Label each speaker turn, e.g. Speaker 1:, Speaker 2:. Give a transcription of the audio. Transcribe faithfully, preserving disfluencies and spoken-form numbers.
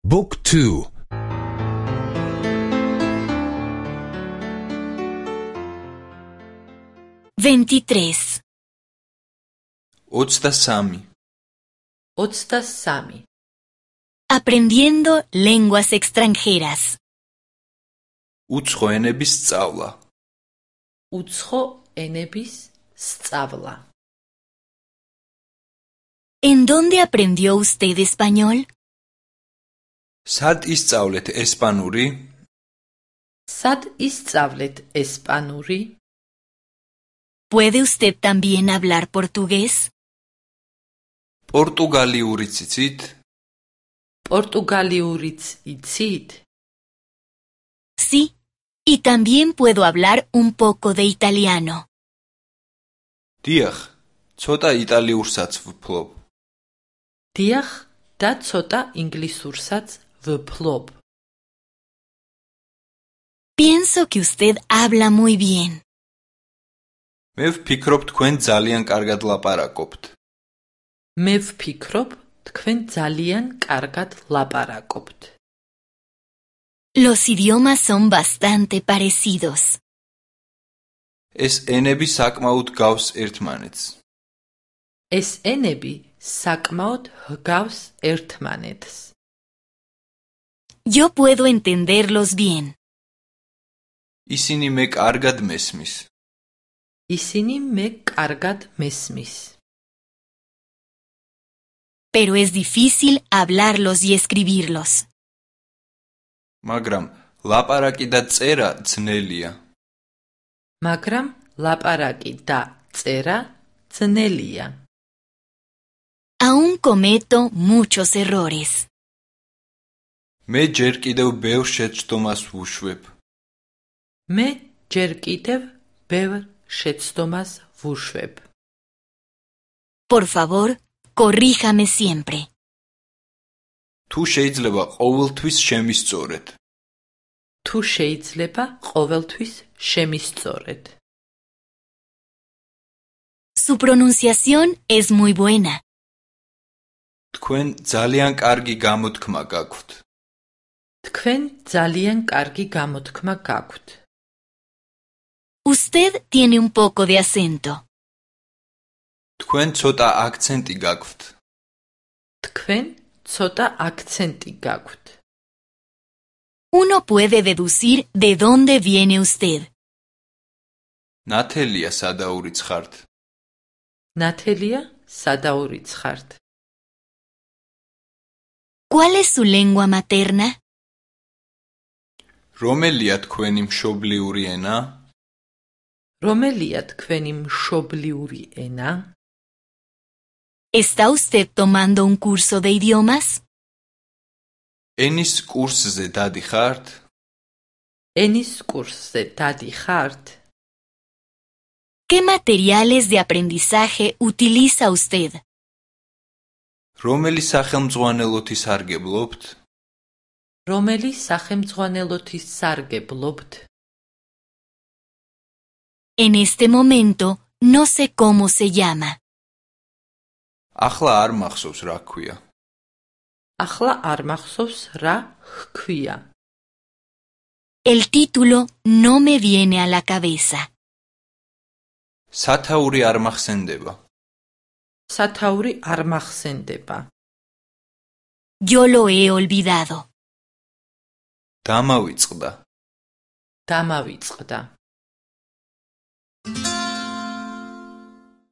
Speaker 1: Book two.
Speaker 2: veintitrés.
Speaker 3: ოცდასამი.
Speaker 4: ოცდასამი.
Speaker 2: Aprendiendo lenguas extranjeras.
Speaker 3: უცხო ენების სწავლა.
Speaker 4: უცხო ენების სწავლა.
Speaker 2: ¿En dónde aprendió usted español?
Speaker 3: სად ისწავლეთ ესპანური?
Speaker 4: სად ისწავლეთ ესპანური?
Speaker 2: ¿Puede usted también hablar portugués?
Speaker 3: პორტუგალიურიც იცით?
Speaker 4: პორტუგალიურიც იცით?
Speaker 2: Sí, y también puedo hablar un poco de italiano.
Speaker 3: დიახ, ცოტა იტალიურსაც ვფლობ.
Speaker 4: დიახ, და ცოტა ინგლისურსაც ვფლობ.
Speaker 2: Pienso que usted habla muy bien.
Speaker 3: მე ვფიქრობ თქვენ ძალიან კარგად ლაპარაკობთ.
Speaker 4: მე ვფიქრობ, თქვენ ძალიან კარგად ლაპარაკობთ.
Speaker 2: Los idiomas son bastante parecidos.
Speaker 3: ეს ენები საკმაოდ გავს ერთმანეთს.
Speaker 4: ეს ენები საკმაოდ ჰგავს ერთმანეთს.
Speaker 2: Yo puedo entenderlos bien.
Speaker 3: ისინი მე კარგად მესმის.
Speaker 4: ისინი მე კარგად მესმის.
Speaker 2: Pero es difícil hablarlos y escribirlos.
Speaker 3: მაგრამ ლაპარაკი და წერა ძნელია.
Speaker 4: მაგრამ ლაპარაკი და წერა ძნელია.
Speaker 2: Aún cometo muchos errores.
Speaker 3: მე ჯერ კიდევ ბევრ შეცდომას ვუშვებ.
Speaker 4: მე ჯერ კიდევ ბევრ შეცდომას ვუშვებ.
Speaker 2: Por favor, corríjame siempre.
Speaker 3: თუ შეიძლება ყოველთვის შემისწორეთ.
Speaker 4: თუ შეიძლება ყოველთვის შემისწორეთ.
Speaker 2: Su pronunciación es muy buena.
Speaker 3: თქვენ ძალიან კარგი გამოთქმა გაქვთ.
Speaker 4: თქვენ ძალიან კარგი გამოთქმა გაქვთ.
Speaker 2: Usted tiene un poco de acento.
Speaker 3: თქვენ ცოტა აქცენტი გაქვთ.
Speaker 4: თქვენ ცოტა აქცენტი გაქვთ.
Speaker 2: Uno puede deducir de dónde viene usted.
Speaker 3: ნათელია სადაურიც ხართ.
Speaker 4: ნათელია სადაურიც ხართ.
Speaker 2: ¿Cuál es su lengua materna?
Speaker 3: რომელია თქვენი მშობლიური ენა?
Speaker 4: რომელია თქვენი მშობლიური ენა?
Speaker 2: ¿Está usted tomando un curso de idiomas?
Speaker 3: ენის კურსზე დადიხართ?
Speaker 4: ენის კურსზე დადიხართ?
Speaker 2: ¿Qué materiales de aprendizaje utiliza usted?
Speaker 3: რომელი სახელმძღვანელოთი სარგებლობთ?
Speaker 4: რომელი სახელმძღვანელოთი სარგებლობთ?
Speaker 2: En este momento no sé cómo se llama.
Speaker 3: ახლა არ მახსოვს რა ქვია.
Speaker 4: ახლა არ მახსოვს რა ჰქვია.
Speaker 2: El título no me viene a la cabeza.
Speaker 3: სათაური არ მახსენდება.
Speaker 4: სათაური არ მახსენდება.
Speaker 2: Yo lo he olvidado.
Speaker 3: დამავიწყდა.
Speaker 4: დამავიწყდა.